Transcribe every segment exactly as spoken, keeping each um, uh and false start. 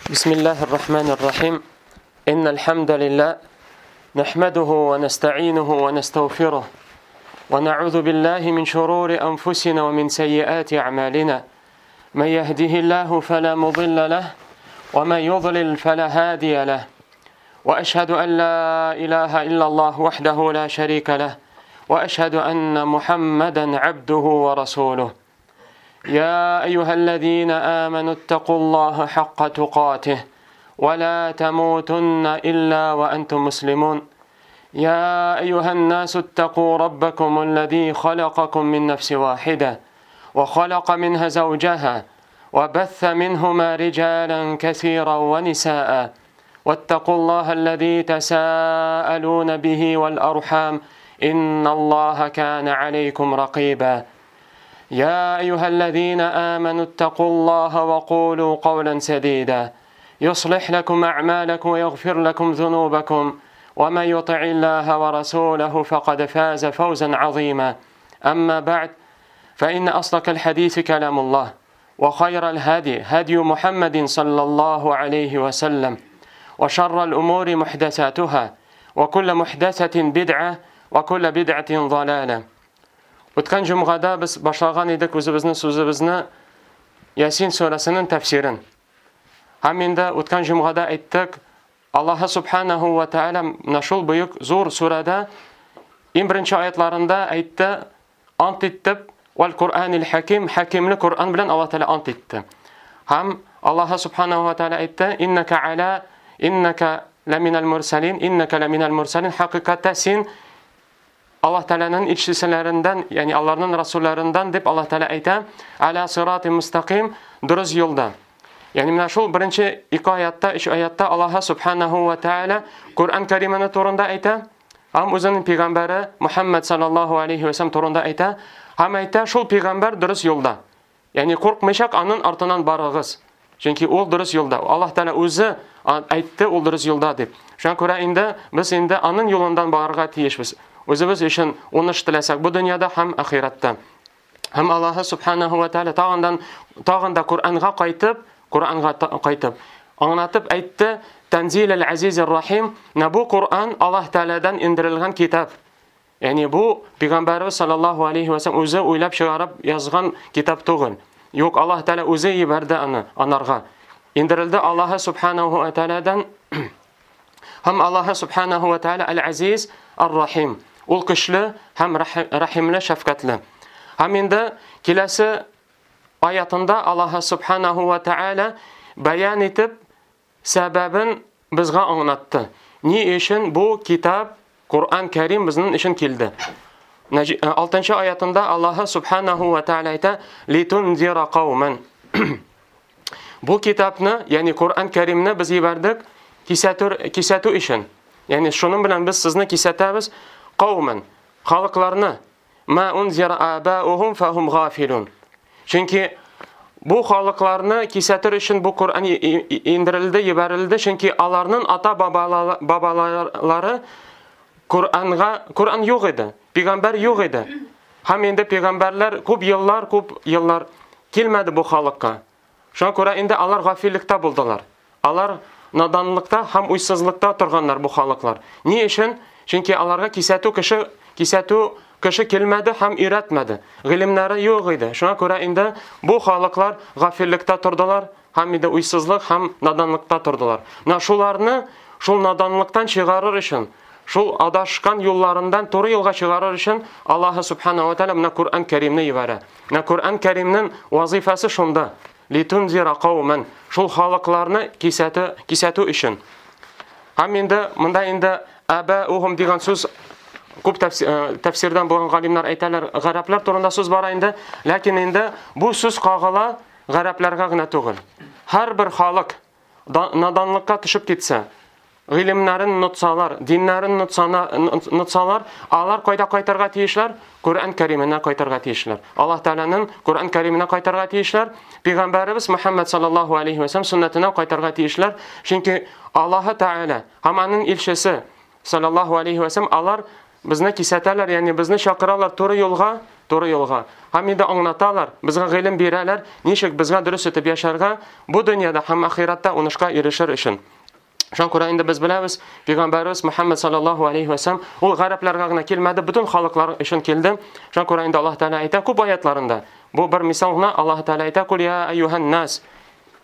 بسم الله الرحمن الرحيم. إن الحمد لله نحمده ونستعينه ونستغفره ونعوذ بالله من شرور أنفسنا ومن سيئات أعمالنا. من يهده الله فلا مضل له ومن يضلل فلا هادي له. وأشهد أن لا إله إلا الله وحده لا شريك له وأشهد أن محمدا عبده ورسوله. يا أيها الذين آمنوا اتقوا الله حق تقاته ولا تموتن إلا وأنتم مسلمون. يا أيها الناس اتقوا ربكم الذي خلقكم من نفس واحدة وخلق منها زوجها وبث منهما رجالا كثيرا ونساء واتقوا الله الذي تساءلون به والأرحام إن الله كان عليكم رقيبا. يا أيها الذين آمنوا اتقوا الله وقولوا قولا سديدا يصلح لكم أعمالكم ويغفر لكم ذنوبكم ومن يطع الله ورسوله فقد فاز فوزا عظيما. أما بعد، فإن أصدق الحديث كلام الله وخير الهدي هدي محمد صلى الله عليه وسلم وشر الأمور محدثاتها وكل محدثة بدعة وكل بدعة ضلالة. O'tgan jumg'ada biz boshlagan edik o'zimizning so'zimizni Yasin surasining tafsirini. Ham endi o'tgan jumg'ada aytdik, Alloh subhanahu va taolo mana shu buyuk zo'r surada eng birinchi oyatlarida aytdi, ant etib, val Qur'anil hakim, hakimli Qur'on bilan Alloh taolo ant etdi. Ham Alloh subhanahu va taolo aytdi, innaka ala innaka laminal mursalin, innaka laminal mursalin, haqiqatda sen Allah Teala'nın elçilerinden, yani Allah'ın rasullerinden deb Allah Teala ayta, ala sirati mustaqim, duruz yo'lda. Yani mana shu birinchi ikki oyatda, uch oyatda Alloh subhanahu va taolo Qur'on Karimini to'g'rida ayta, ham o'zining payg'ambari Muhammad sallallohu alayhi vasallam to'g'rida ayta, ham ayta shu payg'ambar duruz yo'lda. Yani qo'rqmayshaq aning ortidan borig'iz. Chunki u duruz yo'lda. Alloh Teala o'zi aytdi, u duruz yo'lda deb. Shunga ko'ra endi biz endi aning yo'lidan borishga tiyishmiz. O'zimiz uchun o'nish tilasak bu dunyoda ham oxiratda. Ham Alloh subhanahu va taolo tog'indan tog'inda Qur'onga qaytib, Qur'onga qaytib anglatib aytdi, Tanzilul Azizir Rahim, na bu Qur'on Alloh taoladan indirilgan kitob. Ya'ni bu payg'ambarimiz sallallohu alayhi vasallam o'zi o'ylab chiqarib yozgan kitob tug'il. Yo'q, Alloh taolo o'zi yubordi uni anarga. Indirildi Alloh subhanahu va taoladan. Ham Alloh subhanahu va taolo Al-Aziz Ar-Rahim. Ul kuchli ham rahimli, shafqatli. Ham endi kelasi oyatında Alloh subhanahu va taolo bayon etib sababin bizga anglatdi. Ne uchun bu kitob Qur'on Karim bizning uchun keldi? oltinchi oyatında Alloh subhanahu va taolo ayta, litunzira qauman. Bu kitobni, ya'ni Qur'on Karimni biz yubordik kesatuv kesatuv uchun. Ya'ni shuning bilan biz sizni kesatamiz. Qavman, xalqlarni ma unzira abauhum fahum g'afilun. Chunki bu xalqlarni kesatir uchun bu Qur'on indirildi, yuborildi, chunki ularning ota bobolari Qur'onga, Qur'on yo'q edi, payg'ambar yo'q edi. Ham endi payg'ambarlar ko'p yillar, ko'p yillar kelmadi bu xalqqa. Shunga ko'ra endi ular g'afillikda bo'ldilar. Ular nodonlikda ham uysizlikda turganlar bu xalqlar. Ne uchun? Chunki ularga kesatuv kishi, kesatuv kishi kelmadi ham o'rgatmadi. G'ilimlari yo'q edi. Shunga ko'ra endi bu xalqlar g'afillikda turdilar, ham endi uysizlik, ham nodonlikda turdilar. Mana shularni shu nodonlikdan chiqarish uchun, shu adashgan yo'llaridan to'g'ri yo'lga chiqarish uchun Alloh subhanahu va taolo mana Qur'on Karimni yuboradi. Mana Qur'on Karimning vazifasi shunda. Litunzira qauman, shu xalqlarni kesatuv, kesatuv uchun. Ham endi bunda endi abauhum degan so'z ko'p tafsirdan bo'lgan olimlar aytalar, g'arablar to'g'risida so'z bor endi, lekin endi bu so'z qog'ila g'arablarga tug'il. Har bir xalq nodonlikka tushib ketsa, ilmlarini unutsalar, dinlarini unutsalar, ular qayta qaytarga tiyishlar, Qur'on Karimini qaytarga tiyishlar. Alloh taolaning Qur'on Karimini qaytarga tiyishlar, payg'ambarimiz Muhammad sallallohu alayhi vasallam sunnatini qaytarga tiyishlar. Chunki Alloh taolo ham uning elchisi sallallohu alayhi vasallam ular bizni kesatalar, ya'ni bizni chaqiralar to'g'ri yo'lga, туры юлга. Һәм инде аңлаталар, безгә гыйлем бирәләр, ничек безгә дөрес итеп яшәргә, бу дөньяда һәм ахиратта уңышка ирешер өчен. Шуңа күрә инде без беләбез, Пәйгамбәребез Мөхәммәд саллаллаһу алейһи ва сәлләм ул гарәпләргә генә килмәде, бөтен халыклар өчен килде. Шуңа күрә инде Аллаһ Тәгалә әйтә күп аятларында. Бу бер мисал гына, Аллаһ Тәгалә әйтә: "Кул я әйюһан нас".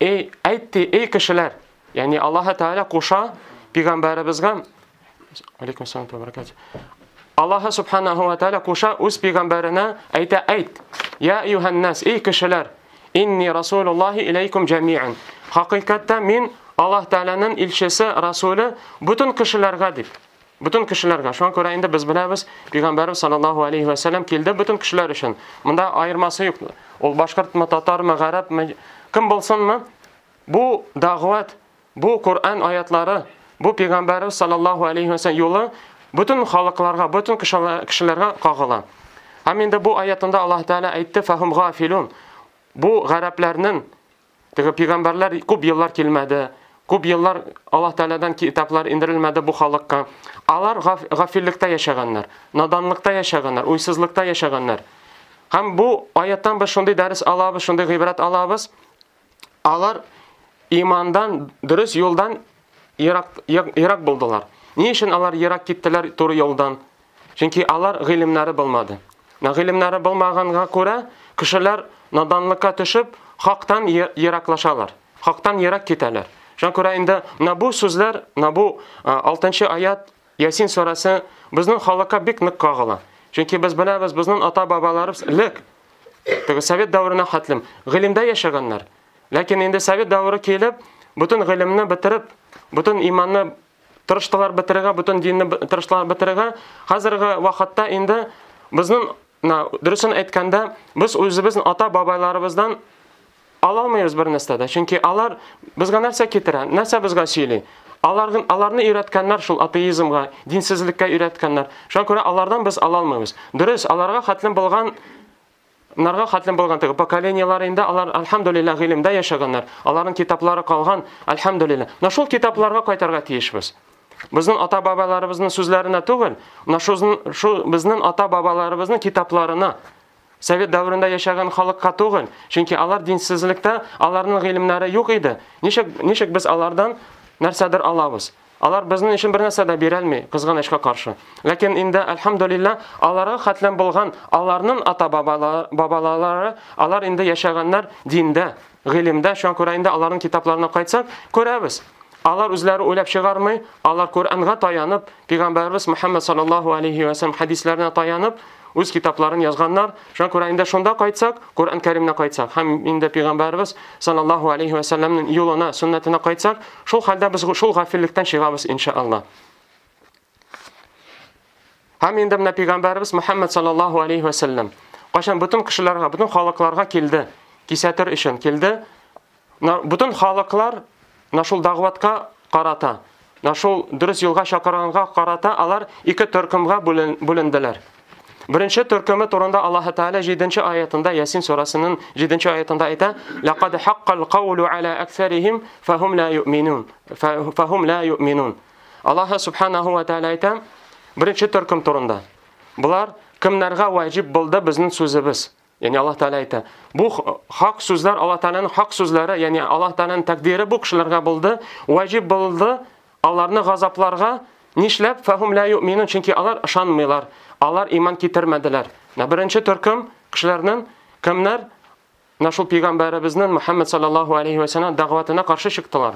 Эй, әйтте, эй кешеләр. Ягъни Аллаһ Тәгалә куша пәйгамбәребезгә, алейкум ассалам ва баракатуһ. Аллаһ субханаһу ва тәгалә куша үз пәйгамбәренә, әйтә: "Әйт, я әйюһан нас, эй кешеләр, инни расулуллаһи иләйкум җәмиан". Хакыйкатьтә мин Аллаһ Тәгаләнең илчесе, расулы бөтен кешеләргә дип. Бөтен кешеләргә. Шуңа күрә инде без беләбез, Пәйгамбәребез саллаллаһу алейһи ва сәлләм килде бөтен кешеләр өчен. Монда аермасы юк. Ул башкортмы, татармы, гарәпме, кем булсынмы? Бу дәгъват, бу Коръән аятлары, бу Пәйгамбәребез саллаллаһу алейһи ва сәлләм юлы бөтен халыкларга, бөтен кешеләргә кагыла. Һәм инде бу аятында Аллаһ Тәгалә әйтте: "Фахум гафилун". Бу гарәпләрнең теге пәйгамбәрләр күп еллар килмәде. Күп еллар Аллаһ Тәгаләдән китаплар индерелмәде бу халыкка. Алар гафиллектә яшәгәннәр, наданлыкта яшәгәннәр, уйсызлыкта яшәгәннәр. Һәм бу аяттан без шундый дәрес алабыз, шундый гыйбрәт алабыз. Алар имандан, дөрес юлдан ерак, ерак булдылар. Ни өчен алар ерак киттеләр туры юлдан? Чөнки алар гыйлемнәре булмады. Гыйлемнәре булмаганга күрә кешеләр наданлыкка төшеп, хактан ераклашалар, хактан ерак китәләр. Шуңа күрә инде менә бу сүзләр, менә бу алтынчы аят Ясин сүрәсе безнең халыкка бик нык кагыла. Чөнки без беләбез, безнең ата-бабаларыбыз элек теге совет дәверенә хәтлем гыйлемдә яшәгәннәр. Ләкин инде совет дәвере килеп, бөтен гыйлемне бетереп, бөтен иманны тырыштылар бетерергә, бөтен динне тырыштылар бетерергә. Хәзерге вакытта инде безнең, дөресен әйткәндә, без үзебезнең ата-бабаларыбыздан ала алмыйбыз бер нәрсә дә. Чөнки алар безгә нәрсә китерә, нәрсә безгә сөйли? Аларны, аларны өйрәткәннәр шул атеизмга, динсезлеккә өйрәткәннәр. Шуңа күрә алардан без ала алмыйбыз. Дөрес, аларга хәтлем булган, нарга хәтлем булган теге поколениеләр инде алар альхамдулилла гыйлемдә яшәгәннәр. Аларның китаплары калган, альхамдулилла. Менә шул китапларга кайтарга тиешбез. Безнең ата-бабаларыбызның сүзләренә түгел, менә шул безнең ата-бабаларыбызның китапларына. Совет дәверендә яшәгән халыкка түгел, чөнки алар динсезлектә, аларның гыйлемнәре юк иде. Ничек, ничек без алардан нәрсәдер алабыз? Алар безнең өчен бер нәрсә дә бирә алмый, кызганычка каршы. Ләкин инде альхамдулилла, аларга хәтлем булган аларның ата-бабалары, алар инде яшәгәннәр диндә, гыйлемдә. Шуңа күрә инде аларның китапларына кайтсак, күрәбез. Алар үзләре уйлап чыгармый, алар Коръәнгә таянып, Пәйгамбәребез Мөхәммәд саллаллаһу алейһи ва сәлләм хәдисләренә таянып, үз китапларын язганнар. Шуңа күрә инде шунда кайтсак, Коръән Кәримнә кайтсак һәм инде Пәйгамбәребез саллаллаһу алейһи ва сәлләмнең юлына, сөннәтенә кайтсак, шул хәлдә без шул гафиллектән чыгабыз иншалла. Һәм инде менә Пәйгамбәребез Мөхәммәд саллаллаһу алейһи ва сәлләм кайчан бөтен кешеләргә, бөтен халыкларга килде, кисәтер өчен килде. Бөтен халыклар менә шул дәгъватка карата, менә шул дөрес юлга чакырганга карата алар ике төркемгә бүленделәр. Беренче төркеме турында Аллаһ Тәгалә җиденче аятында, Ясин сүрәсенең җиденче аятында әйтә: "Лaqad haqqal qawlu ala aktharihim fahum la yu'minun." Fahum la yu'minun. Аллаһ субханаһу ва тәгалә әйтә беренче төркем турында. Булар кемнәргә ваҗиб булды безнең сүзебез? Ягъни Аллаһ Тәгалә әйтә, бу хак сүзләр Аллаһ Тәгаләнең хак сүзләре, ягъни Аллаһ Тәгаләнең тәкъдире бу кешеләргә булды, ваҗиб булды аларны газапларга. Нишләп? Фахум ла ю'минун, чөнки алар ышанмыйлар. Алар иман китермәделәр. Менә беренче төркем кешеләрнең кемнәр? Менә шул пәйгамбәребезнең Мөхәммәд саллаллаһу алейһи ва сәлләм дәгъватына каршы чыктылар.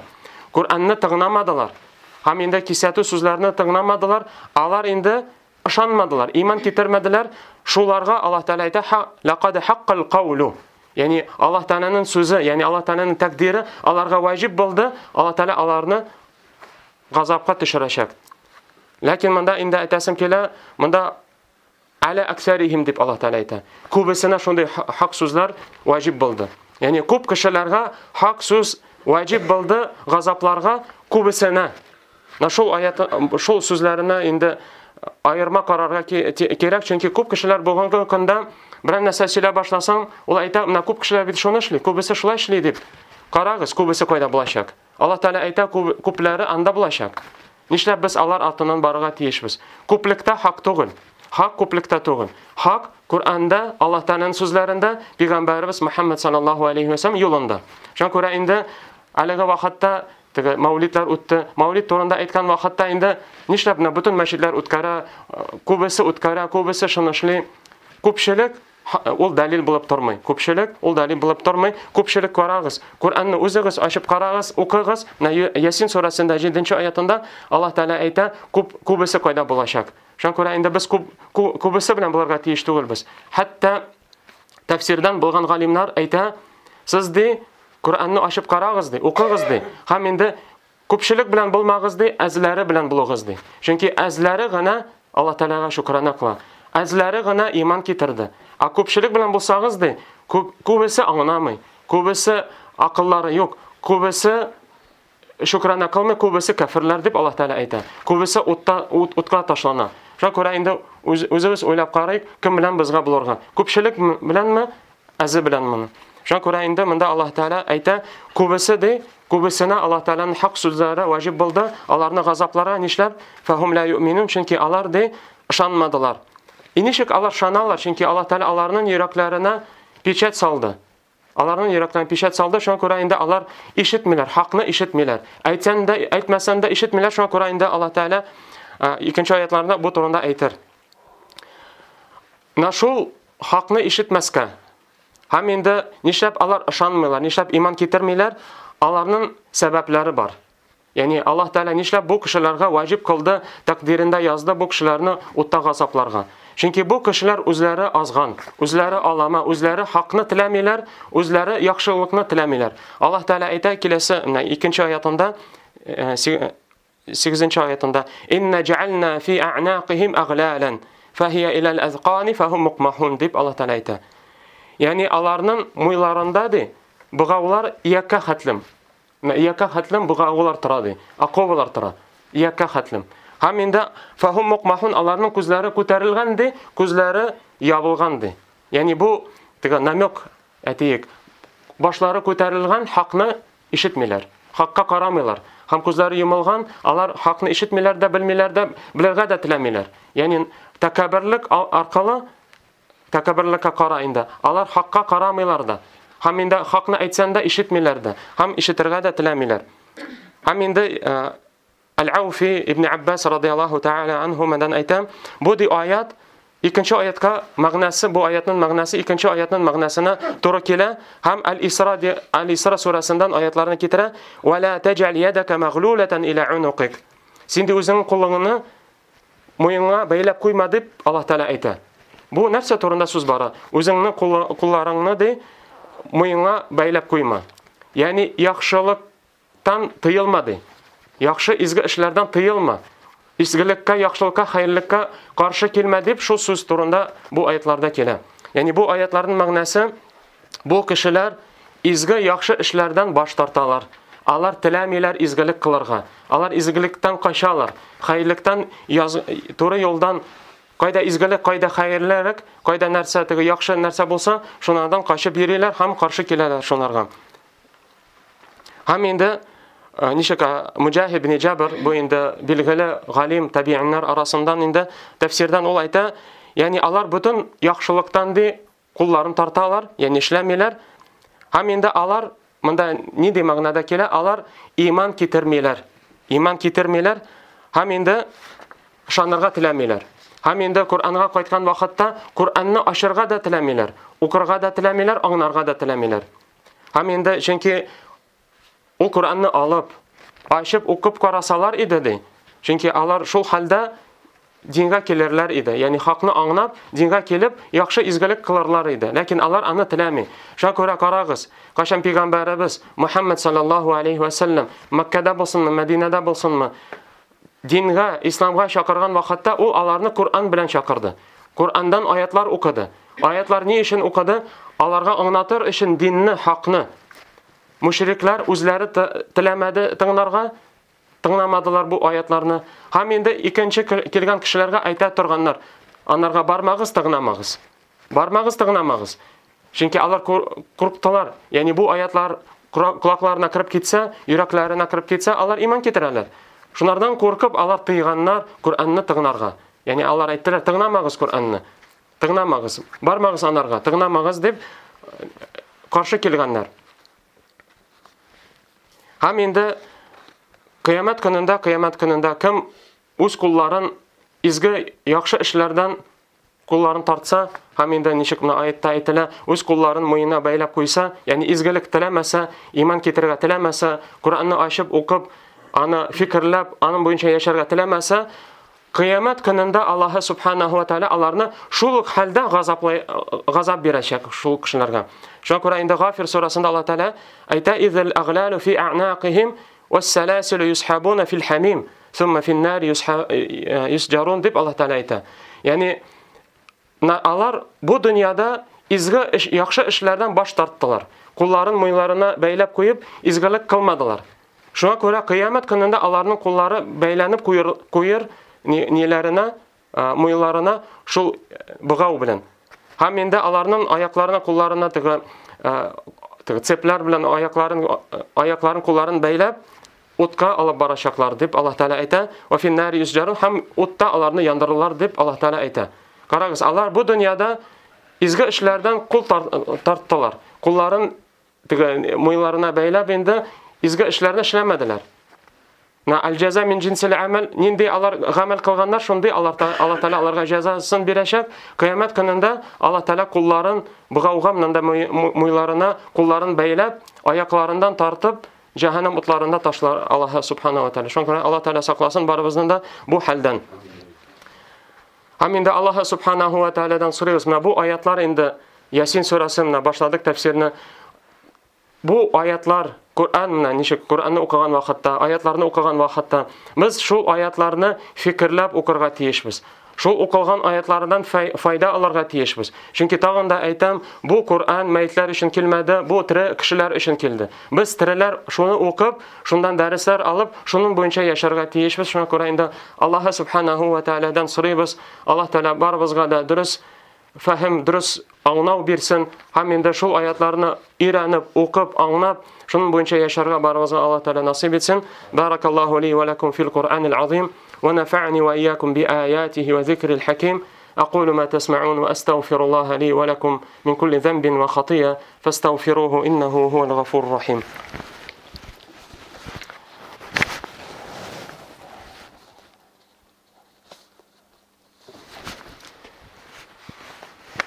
Коръәнне тыңламадылар. Һәм инде кисәтү сүзләрен тыңламадылар. Алар инде ышанмадылар, иман китермәделәр. Шуларга Аллаһ Тәгалә әйтә: "Лaqad haqqal qawlu". Ягъни Аллаһ Тәгаләнең сүзе, ягъни Аллаһ Тәгаләнең тәкъдире аларга ваҗиб булды. Аллаһ Тәгалә аларны газапка төшерәчәк. Ләкин монда инде әйтәсем килә, монда аля аксарихим дип Аллаһ Тәгалә әйтә. Күбесенә шундый хак сүзләр ваҗиб булды. Ягъни күп кешеләргә хак сүз ваҗиб булды газапларга күбесенә. Менә шул аят, шул сүзләренә инде аерма карарга кирәк, чөнки күп кешеләр бүгенге көндә берәр нәрсә сөйләп башласаң, ул әйтә, менә күп кешеләр бит шуны эшли, күбесе шулай эшли дип. Карагыз, күбесе кайда булачак? Аллаһ Тәгалә әйтә, күпләре анда булачак. Нишләп без алар артыннан барырга тиешбез? Күплектә хак түгел. Хак күплектә түгел. Хак Kur'anda, Аллаһ Тәгаләнең сүзләрендә, Пәйгамбәребез Мөхәммәд саллаллаһу алейһи ва сәлләм юлында. Шуңа күрә инде әлеге вакытта теге мәүлидләр үтте. Мәүлид турында әйткән вакытта инде нишләп менә бөтен мәчетләр үткәрә, күбесе үткәрә, күбесе шуны эшли. Күпчелек ул дәлил булып тормый. Күпчелек ул дәлил булып тормый. Күпчелек карагыз. Коръәнне үзегез ачып карагыз, укыгыз. Менә Ясин сүрәсендә җиденче аятында Аллаһ Тәгалә әйтә, күп күбесе кайда булачак. Шуңа күрә инде без күп күбесе белән булырга тиеш түгелбез. Хәтта тәфсирдән булган галимнәр әйтә, сез ди Коръәнне ачып карагыз ди, укыгыз ди. Һәм инде күпчелек белән булмагыз ди, әзләре белән булыгыз ди. Чөнки әзләре генә Аллаһ Тәгаләгә шөкрана кыла. Әзләре генә иман китерде. А күпчелек белән булсагыз ди, күп күбесе аңламый, күбесе акыллары юк, күбесе шөкрана кылмый, күбесе кафирләр дип Аллаһ Тәгалә әйтә. Күбесе утта ут, утка ташлана. Шуңа күрә инде үз, үзебез уйлап карыйк, кем белән безгә булырга? Күпчелек беләнме, әзе беләнме? Шуңа күрә инде монда Аллаһ Тәгалә әйтә, күбесе ди, күбесенә Аллаһ Тәгаләнең хак сүзләре ваҗиб булды, аларны газапларга нишләп? Фахум ла юъминун, чөнки алар ди ышанмадылар. И ничек алар ышаналар? Чөнки Аллаһ Тәгалә аларның йөрәкләренә печать салды. Аларның йөрәкләренә печать салды, шуңа күрә инде алар ишетмиләр, хакны ишетмиләр. Әйтсәң дә, әйтмәсәң дә ишетмиләр, шуңа күрә инде Аллаһ Тәгалә икенче аятларында бу турында әйтер. Менә шул хакны ишетмәскә. Һәм инде нишләп алар ышанмыйлар, нишләп иман китермиләр? Аларның сәбәпләре бар. Ягъни Аллаһ Тәгалә нишләп бу кешеләргә ваҗиб кылды, тәкъдирендә язды бу кешеләрне утта газапларга. Чөнки бу кешеләр үзләре азган, үзләре алама, үзләре хакны теләмиләр, үзләре яхшылыкны теләмиләр. Аллаһ Тәгалә әйтә киләсе, менә икенче аятында, сигезенче аятында: "Инна жаална фи а'нақихим агълалан, фахия илал азқани фахум мукмахун" дип Аллаһ Тәгалә әйтә. Ягъни аларның муйларында ди, бугаулар иякка хәтлем. Менә иякка хәтлем бугаулар тора ди, оковалар тора. Иякка хәтлем. Һәм инде фахум мукмахун, аларның күзләре күтәрелгән ди, күзләре ябылган ди. Ягъни бу теге намек әйтик, башлары күтәрелгән, хакны ишетмиләр, хакка карамыйлар. Һәм күзләре йомылган, алар хакны ишетмиләр дә, белмиләр дә, белергә дә теләмиләр. Ягъни тәкәбберлек аркылы тәкәбберлеккә кара инде. Алар хакка карамыйлар да. Һәм инде хакны әйтсәң дә ишетмиләр дә, һәм ишетергә дә теләмиләр. Һәм инде Аль-Ауфи ибн Аббас радияллаһу тааля анһумадан әйтәм, бу ди аят икенче аятка мәгънәсе, бу аятның мәгънәсе икенче аятның мәгънәсенә туры килә һәм Аль-Исра ди, Аль-Исра сүрәсеннән аятларны китерә: "Ва ла таҗал ядака магълулатан иля унукик." Син ди үзеңнең кулыңны муеныңа бәйләп куйма дип Аллаһ Тәгалә әйтә. Бу нәрсә турында сүз бара? Үзеңнең кулларыңны ди муеныңа бәйләп куйма. Ягъни яхшылыктан тыелма ди. Яхшы изге эшләрдән тыелма. Изгелеккә, яхшылыкка, хәерлелеккә каршы килмә дип шул сүз турында бу аятларда килә. Ягъни бу аятларның мәгънәсе, бу кешеләр изге яхшы эшләрдән баш тарталар. Алар теләмиләр изгелек кылырга. Алар изгелектән качалар. Хәерлектән яз, туры юлдан, кайда изгелек, кайда хәерлелек, кайда нәрсә теге яхшы нәрсә булса, шунардан качып йөриләр һәм каршы киләләр шунарга. Һәм инде ничек Муҗахид ибн Җабр, бу инде билгеле галим табииннар арасыннан инде тәфсирдән ул әйтә, ягъни алар бөтен яхшылыктан ди кулларын тарталар, ягъни эшләмиләр. Һәм инде алар монда нинди мәгънәдә килә? Алар иман китермиләр. Иман китермиләр һәм инде ышанырга теләмиләр. Һәм инде Коръәнгә кайткан вакытта Коръәнне ачырга да теләмиләр, укырга да теләмиләр, аңларга да теләмиләр. Һәм инде чөнки ул Коръәнне алып, ачып укып карасалар иде ди. Чөнки алар шул хәлдә дингә килерләр иде. Ягъни хакны аңлап, дингә килеп, яхшы изгелек кылырлар иде. Ләкин алар аны теләми. Шуңа күрә карагыз, кайчан пәйгамбәребез Мухаммад саллаллаһу алейхи ва саллям Мәккәдә булсынмы, Мәдинәдә булсынмы, дингә, исламга чакырган вакытта ул аларны Коръән белән чакырды. Коръәннән аятлар укыды. Аятлар ни өчен укыды? Аларга аңлатыр өчен динне, хакны. Мушриклар үзләре теләмәде тыңларга, тыңламадылар бу аятларны. Һәм инде икенче килгән кешеләргә әйтә торганнар: анарга бармагыз, тыңламагыз. Бармагыз, тыңламагыз. Чөнки алар курктылар. Ягъни бу аятлар колакларына кереп китсә, йөрәкләренә кереп китсә, алар иман китерәләр. Шунардан куркып алар тыйганнар Коръәнне тыңларга. Ягъни алар әйттеләр: тыңламагыз Коръәнне. Тыңламагыз, бармагыз анарга, тыңламагыз дип каршы килгәннәр. Һәм инде кыямәт көнендә, кыямәт көнендә кем үз кулларын изге яхшы эшләрдән кулларын тартса, һәм инде ничек менә аятта әйтелә, үз кулларын муенына бәйләп куйса, ягъни изгелек теләмәсә, иман китерергә теләмәсә, Коръәнне ачып укып, аны фикерләп, аның буенча яшәргә теләмәсә, кыямәт көнендә Аллаһ субханаһу ва тааля аларны шул ук хәлдә газаплай, газап бирәчәк шул кешеләргә. Шуңа күрә инде Гафир сүрәсендә Аллаһ Тааля әйтә: "Изел агълалу фи а'нақихим вассаласилу юсхабуна фил хамим, сумма фин нар юсҗарун" дип Аллаһ Тааля әйтә. Ягъни алар бу дөньяда изге эш, яхшы эшләрдән баш тарттылар. Кулларын муеннарына бәйләп куеп, изгелек кылмадылар. Шуңа күрә кыямәт көнендә аларның куллары бәйләнеп куер, куер ниләренә, муеннарына шул богау белән. Һәм инде аларның аякларына, кулларына теге, теге цепләр белән аякларын, аякларын, кулларын бәйләп утка алып барачаклар дип Аллаһ Тааля әйтә. Ва фин нари юсҗарун, һәм утта аларны яндырырлар дип Аллаһ Тааля әйтә. Карагыз, алар бу дөньяда изге эшләрдән кул тарттылар. Кулларын теге муеннарына бәйләп инде изге эшләрне эшләмәделәр. На аль-джаза мин джинсил амал, нинди алар гамәл кылганнар, шундый Аллаһ Тааля аларга җәзасын бирәчәк. Кыямәт көнендә Аллаһ Тааля кулларын богауга, монда муйларына кулларын бәйләп, аякларыннан тартып, җәһәннәм утларында ташлар Аллаһ субхана ва тааля. Шуңа күрә Аллаһ Тааля сакласын барыбызны да бу хәлдән. Һәм инде Аллаһ субханаху ва таалядан сорыйбыз. Менә бу аятлар инде Ясин сүрәсе менә башладык тәфсирне. Бу аятлар Коръән менә ничек Коръәнне укыган вакытта, аятларны укыган вакытта без шул аятларны фикерләп укырга тиешбез. Шул укылган аятлардан файда алырга тиешбез. Чөнки тагын да әйтәм, бу Коръән мәетләр өчен килмәде, бу тере кешеләр өчен килде. Без тереләр шуны укып, шундан дәресләр алып, шуның буенча яшәргә тиешбез. Шуңа күрә инде Аллаһ субханаһу ва таалядан сорыйбыз. Аллаһ Тааля барыбызга да дөрес фәһем, дөрес аңлау бирсен. Һәм инде шул аятларны өйрәнеп, укып, аңлап, шуның буенча яшәргә барыбызга Аллаһ Тааля насыйп итсен. Баракаллаһу ли ва лакум фил Куръанил азим ва нафа'ни ва ияякум би аятихи ва зикрил хаким. أقول ما تسمعون وأستغفر الله لي ولكم من كل ذنب وخطيئة فاستغفروه إنه هو الغفور الرحيم.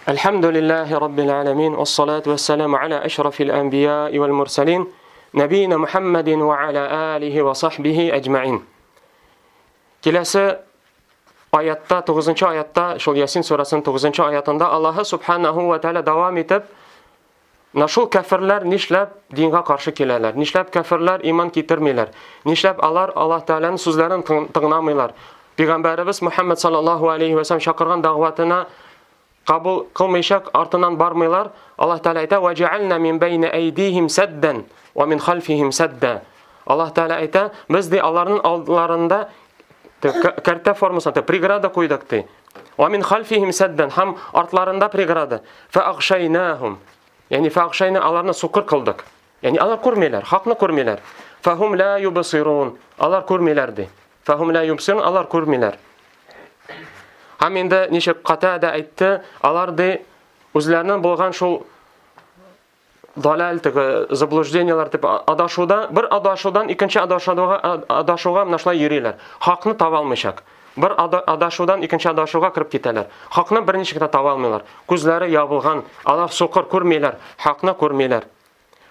الحمد لله رب العالمين والصلاة والسلام على أشرف الأنبياء والمرسلين نبينا محمد وعلى آله وصحبه أجمعين. Киләсе аятта, тугызынчы аятта, шул Ясин сүрәсенең тугызынчы аятында Аллаһ субханаһу ва тааля дәвам итеп, менә шул кәфирләр нишләп дингә каршы киләләр, нишләп кәфирләр иман китермиләр, нишләп алар Аллаһ Тааляның сүзләрен тыңламыйлар. Пәйгамбәребез Мухаммад саллаллаһу алейхи ва саллям чакырган дәгъватына кабул кылмыйча артыннан бармыйлар. Аллаһ Тааля әйтә: "Ва жаална мин байна айдихим саддан ва мин халфихим садда". Аллаһ Тааля әйтә: "Без ди аларның алдларында кәртә формасында преграда куйдык ди. Ва мин халфихим саддан, һәм артларында преграда. Фа агшайнахум". Ягъни фа агшайна, аларны сукыр кылдык. Ягъни алар күрмиләр, хакны күрмиләр. Фахум ла юбсирун. Алар күрмиләр ди. Фахум ла юбсирун, алар күрмиләр. Һәм инде ничек Катада әйтте, алар ди үзләренең булган шул далал, теге заблуждениеләр дип адашуда, бер адашудан икенче адашуга, адашуга менә шулай йөриләр. Хакны таба алмыйчак. Бер адашудан икенче адашуга кереп китәләр. Хакны берничек тә таба алмыйлар. Күзләре ябылган, алар сукыр күрмиләр, хакны күрмиләр.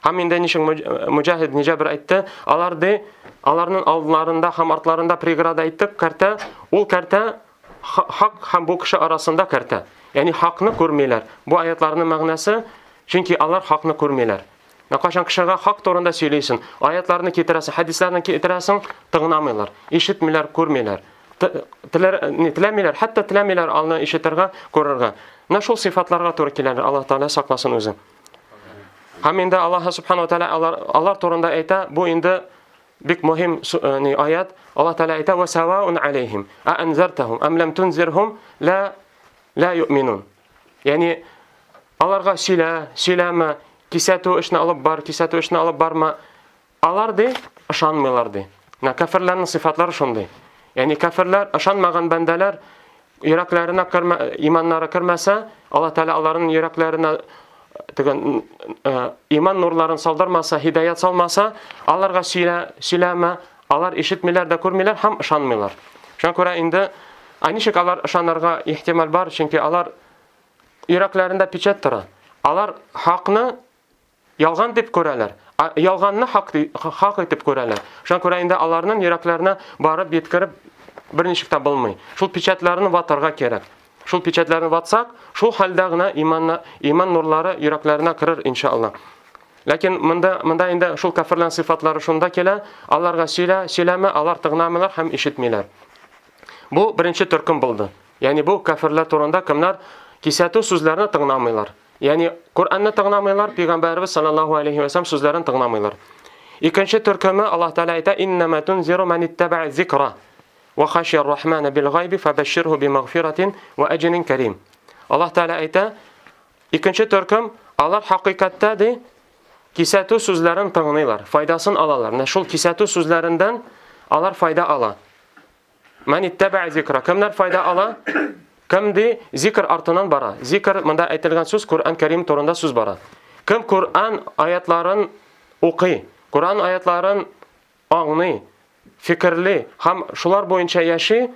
Һәм инде ничек Муҗаһид ибн Җабр әйтте, алар ди аларның алдларында һәм артларында преграда әйттек, кәртә, ул кәртә хак һәм бу кеше арасында кәртә. Ягъни хакны күрмиләр. Бу аятларның мәгънәсе, чөнки алар хакны күрмиләр. Кайчан кешегә хак турында сөйлисең, аятларны китерәсең, хәдисләрне китерәсең, тыңламыйлар, ишетмиләр, күрмиләр. Теләр, не теләмиләр, хәтта теләмиләр алны ишетергә, күрергә. Менә шул сыйфатларга туры киләләр. Аллаһ Тааля сакласын үзе. Һәм инде Аллаһ субхана ва тааля алар, алар турында әйтә, бу инде бик мөһим ни аят. Аллаһ Тааля әйтә: "Ва саваун алейхим а анзартахум ам лам тунзирхум ла ла юъминун". Ягъни аларга сөйлә, сөйләмә, кисәтү эшне алып бар, кисәтү эшне алып барма. Алар ди ышанмыйлар ди. Менә кәфирләрнең сыйфатлары шундый. Ягъни кәфирләр, ышанмаган бәндәләр йөрәкләренә кермә, иманнары кермәсә, Аллаһ Тәгалә аларның йөрәкләренә теге иман нурларын салдырмаса, һидаят салмаса, аларга сөйлә, сөйләмә, алар ишетмиләр дә күрмиләр һәм ышанмыйлар. Шуңа күрә инде ничек алар ышанырга ихтимал бар, чөнки алар йөрәкләрендә печать тора. Алар хакны ялган дип күрәләр. Ялганны хак, хак итеп күрәләр. Шуңа күрә инде аларның йөрәкләренә барып yetkirip берничек тә булмый. Шул печатьләрне ватарга кирәк. Шул печатьләрне ватсак, шул хәлдә генә иманна, иман нурлары йөрәкләренә керер иншалла. Ләкин монда монда инде шул кафирләр сыйфатлары шунда килә, аларга сөйлә, сөйләмә, алар тыңламыйлар һәм ишетмиләр. Бу беренче төркем булды. Ягъни бу кафирләр турында кемнәр кисәтү сүзләрен тыңламыйлар. Ягъни Коръәнне тыңламыйлар, Пәйгамбәрбез саллаллаһу алейхи ва саллям сүзләрен тыңламыйлар. Икенче төркеме Аллаһ Тәгалә әйтә: "Иннама тунзиру ман иттаба'a зикра ва хашия ар-рахмана бил гайби фабашширху бимагфиратин ва аҗрин карим." Аллаһ Тәгалә әйтә, икенче төркем алар хакыйкатьтә ди кисәтү сүзләрен тыңлыйлар, файдасын алалар. Менә шул кисәтү сүзләреннән алар файда ала. Ман иттаба'a зикра. Кемнәр файда ала? Кем ди зикр артыннан бара. Зикр монда әйтелгән сүз Коръән Кәрим турында сүз бара. Кем Коръән аятларын укый, Коръән аятларын аңлый, фикерли һәм шулар буенча яши,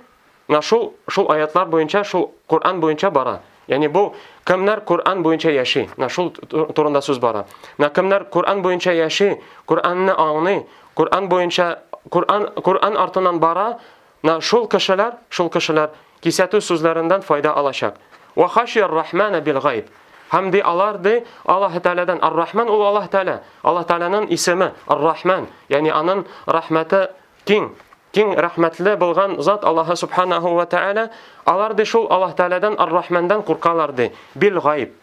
на шул шул аятлар буенча, шул Коръән буенча бара. Ягъни бу кемнәр Коръән буенча яши, на шул турында сүз бара. На кемнәр Коръән буенча яши, Коръәнне аңлый, Коръән буенча Коръән Коръән артыннан бара, на шул кешеләр, шул кешеләр кисәтү сүзләреннән файда алачак. Ва хашия ар-рахмана бил гайб. Һәм ди алар ди Аллаһ Тәгаләдән, ар-Рахман ул Аллаһ Тәгалә. Аллаһ Тәгаләнең исеме ар-Рахман, ягъни аның рәхмәте киң, киң рәхмәтле булган зат Аллаһ субханаһу ва тәгалә. Алар ди шул Аллаһ Тәгаләдән ар-Рахмандан куркалар ди. Бил гайб.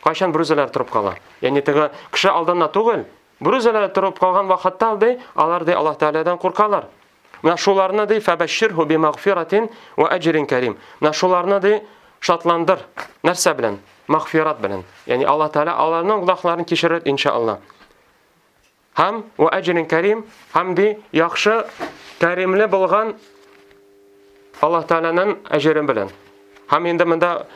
Кайчан бүрүзәләр торып кала? Ягъни теге кеше алдында түгел, бүрүзәләр торып калган вакытта ди, алар ди Аллаһ Тәгаләдән куркалар. Менә шуларны ди фабашширху бимагфиратин ва аҗрин карим. Менә шуларны ди шатландыр. Нәрсә белән? Магфират белән. Ягъни Аллаһ Тәгалә аларның гөнаһларын кичерер иншалла. Һәм ва аҗрин карим, һәм ди яхшы кәримле булган Аллаһ Тәгаләнең әҗере белән. Һәм инде монда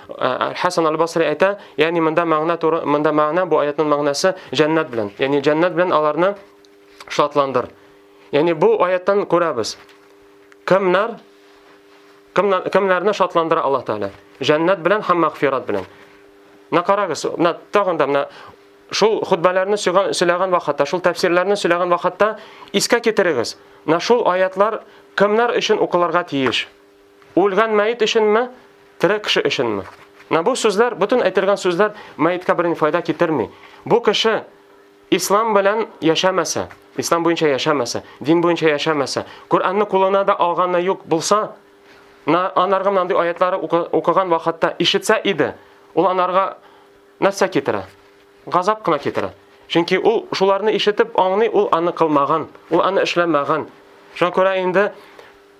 Хасан аль-Басри әйтә, ягъни монда мәгънә туры, монда мәгънә бу аятның мәгънәсе җәннәт белән. Ягъни җәннәт белән аларны шатландыр. Ягъни бу аяттан күрәбез. Кемнәр кемнәр кемнәрне шатландыра Аллаһ Тәгалә? Җәннәт белән һәм мәгъфират белән. Менә карагыз, менә тагын да менә шул хутбаларны сөйләгән вакытта, шул тәфсирләрне сөйләгән вакытта искә китерегез. Менә шул аятлар кемнәр өчен укылырга тиеш? Үлгән мәет өченме, тере кеше өченме? Менә бу сүзләр, бөтен әйтелгән сүзләр мәеткә берни файда китерми. Бу кеше ислам белән яшәмәсә, ислам буенча яшәмәсә, дин буенча яшәмәсә, Коръәнне кулына да алганы юк булса, на анарга мондый аятлары укыган вакытта ишетсә иде, ул анарга нәрсә китерә? Газап кына китерә. Чөнки ул шуларны ишетеп аңлый, ул аны кылмаган, ул аны эшләмәгән. Шуңа күрә инде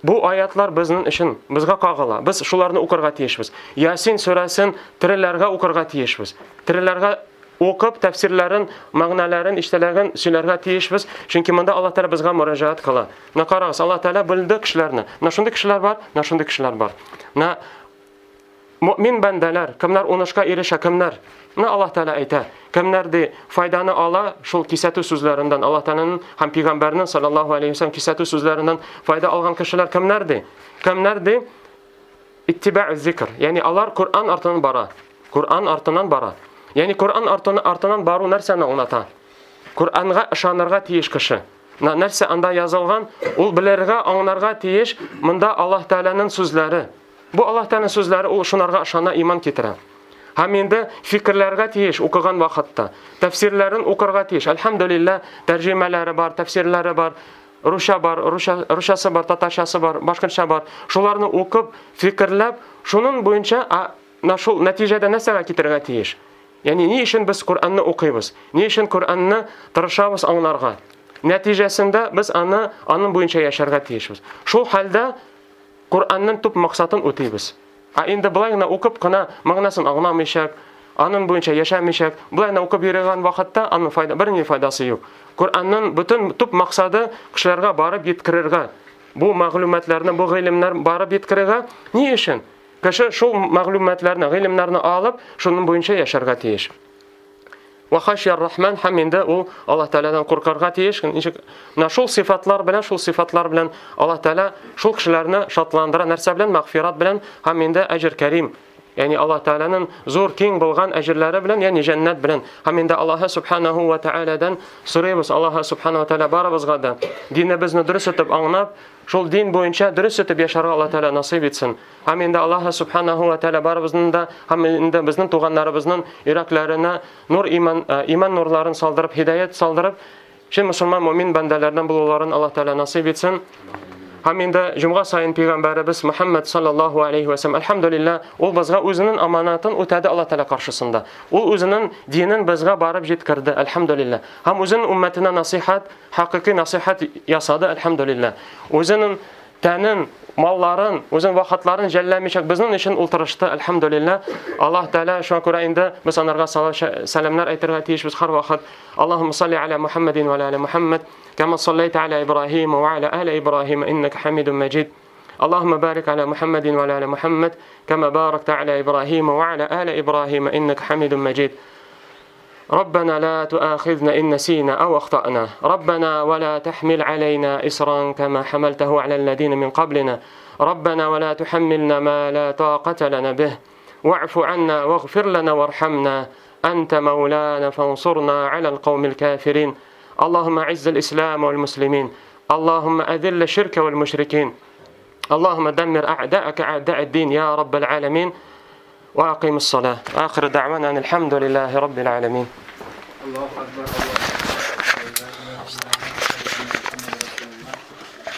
бу аятлар безнең өчен, безгә кагыла. Без шуларны укырга тиешбез. Ясин сүрәсен тереләргә укырга тиешбез. Тереләргә укып тәфсирләрен, мәгънәләрен, эчтәлеген сөйләргә тиешбез. Чөнки монда Аллаһ Тәгалә безгә мөрәҗәгать кыла. Менә карагыз, Аллаһ Тәгалә бүлде кешеләрне. Менә шундый кешеләр бар, менә шундый кешеләр бар. Менә мөмин бәндәләр, кемнәр унышка ирешә, кемнәр? Менә Аллаһ Тәгалә әйтә, кемнәр ди файданы ала шул кисәтү сүзләреннән, Аллаһ Тәгаләнең һәм пәйгамбәрнең саллаллаһу алейһи ва саллям кисәтү сүзләреннән файда алган кешеләр кемнәр ди? Кемнәр ди? Иттиба'у зикр, ягъни алар Коръән артыннан бара. Коръән артыннан бара. Ягъни Коръән артыннан бару нәрсәне аңлата? Коръәнгә ышанырга тиеш кеше. Нәрсә анда язылган, ул белергә, аңларга тиеш. Монда Аллаһ Тәгаләнең сүзләре. Бу Аллаһ Тәгаләнең сүзләре, ул шунарга ышана, иман китерә. Һәм инде фикерләргә тиеш укыган вакытта. Тәфсирләрен укырга тиеш. Әлхәмдүлилләһ, тәрҗемәләре бар, тәфсирләре бар, русча бар, русча, русчасы бар, татарчасы бар, башкортча бар. Шуларны укып, фикерләп, шуның буенча, а, на шул нәтиҗәдә нәрсәгә китерергә тиеш? Ягъни ни өчен без Коръәнне укыйбыз? Ни өчен Коръәнне тырышабыз аңларга? Нәтиҗәсендә без аны аның буенча яшәргә тиешбез. Шул хәлдә Коръәннең төп максатын үтибез. Ә инде былай гына укып кына мәгънәсен аңламыйча, аның буенча яшәмичә, былай гына укып йөргән вакытта аның файда, берни файдасы юк. Коръәннең бөтен төп максаты кешеләргә барып җиткерергә. Бу мәгълүматларны, бу гыйлемнәр барып җиткерергә. Ни өчен? Кеше шул мәгълүматларны, гыйлемнәрне алып, шуның буенча яшәргә тиеш. Ва хашияр рахман һәм инде ул Аллаһ Тәгаләдән куркырга тиеш. Ничек? Менә шул сыйфатлар белән, шул сыйфатлар белән Аллаһ Тәгалә шул кешеләрне шатландыра. Нәрсә белән? Мәгъфират белән һәм инде әҗер кәрим. Ягъни Аллаһ Тәгаләнең зур киң булган әҗерләре белән, ягъни җәннәт белән. Һәм инде Аллаһ Субханаһу ва Тәгаләдән сорыйбыз. Аллаһ Субханаһу ва Тәгалә барыбызга да динебезне дөрес итеп аңлап, шул дин буенча дөрес итеп яшәргә Аллаһ Тәгалә насыйп итсен. Һәм инде Аллаһ Субханаһу ва Тәгалә барыбызның да һәм инде безнең туганнарыбызның йөрәкләренә нур иман, иман нурларын салдырып, һидаят салдырып, чын мусульман мөмин бәндәләрдән булуларын Аллаһ Тәгалә насыйп итсен. Һәм инде җомга сайын пәйгамбәребез Мөхәммәд саллаллаһу алейхи ва сәлләм, әлхәмдүлилләһ, ул безгә үзенең аманатын үтәде Аллаһ Тәгалә каршысында. Ул үзенең динен безгә барып җиткерде, әлхәмдүлилләһ. Һәм үзенең уммәтенә насыйхат, хакыйкый насыйхат ясады, әлхәмдүлилләһ. Үзенең тәнен, малларын, үзенең вакытларын жәлләмичә безнең өчен ул тырышты, әлхәмдүлилләһ. Аллаһ Тәгалә шуңа күрә инде без анарга сәламнәр әйтергә тиешбез һәр вакыт. Аллаһумма салли аля Мухаммадин ва аля али Мухаммад. كما صليت على إبراهيم وعلى آل إبراهيم إنك حميد مجيد. اللهم بارك على محمد وعلى آل محمد كما باركت على إبراهيم وعلى آل إبراهيم إنك حميد مجيد. ربنا لا تؤاخذنا إن نسينا أو أخطأنا. ربنا ولا تحمل علينا إصرا كما حملته على الذين من قبلنا. ربنا ولا تحملنا ما لا طاقة لنا به. واعف عنا واغفر لنا وارحمنا أنت مولانا فانصرنا على القوم الكافرين. اللهم أعز الإسلام والمسلمين. اللهم أذل الشرك والمشركين. اللهم دمر أعداءك أعداء الدين يا رب العالمين. وأقيم الصلاة. آخر دعوانا أن الحمد لله رب العالمين. الله أكبر. الله.